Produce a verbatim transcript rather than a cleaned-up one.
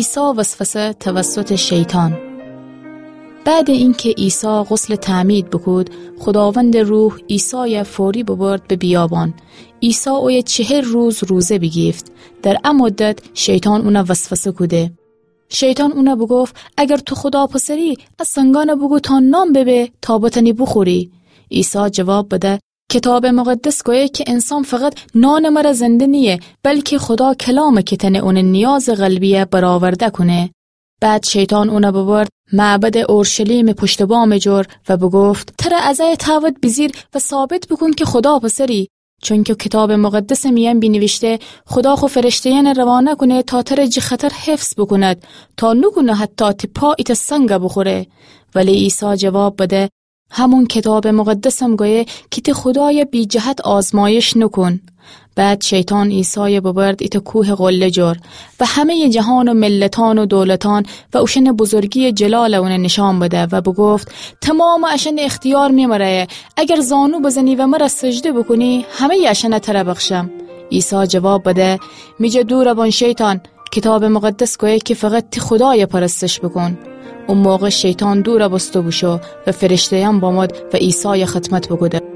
عیسی وسوسه توسط شیطان. بعد اینکه عیسی غسل تعمید بوکود، خداوند روح عیسای فوری ببرد به بیابان. عیسی اویه چهل روز روزه بیگیفت. در ا مدت شیطان اونه وسوسه کوده. شیطان اونه بوگفت: اگر تو خدا پسری، ا سنگانه بوگو تا نان ببه تا بتانی بوخوری. عیسی جواب بده: کتاب مقدس گویه که انسان فقط نان مره زنده نییه، بلکه خدا کلامه که تنه اونه نیاز قلبیه برآورده کونه. بعد شیطان اونه ببرد معبد اورشلیم پشت بام جور و بگفت: تره از ای تاوت بیجیر و ثابت بوکون که خدا پسری، چونکه کتاب مقدس میان بینیویشته: خدا خو فرشته‌یانه روانه کونه تا تره جه خطر حفظ بوکوند، تا نوکونه حتی تی پا ایته سنگه بوخوره. ولی عیسی جواب بده: همون کتاب مقدسم گویه که تی خدای بی جهت آزمایش نوکون. بعد شیطان عیسای ببرد ایته کوه قله جور و همه‌ی جهان و ملتان و دولتان و اوشن بزرگی جلال اونه نشان بده و بگفت: تمام اشن اختیار می مره، اگر زانو بزنی و مره سجده بوکونی، همه‌ی اشن تره بخشم. عیسی جواب بده: می جه دور بون شیطان، کتاب مقدس گویه که فقط تی خدای پرستش بوکون. او موقع شیطان دور بوسته بوشو و فرشته‌یان بامد و عیسای خدمت بوکوده.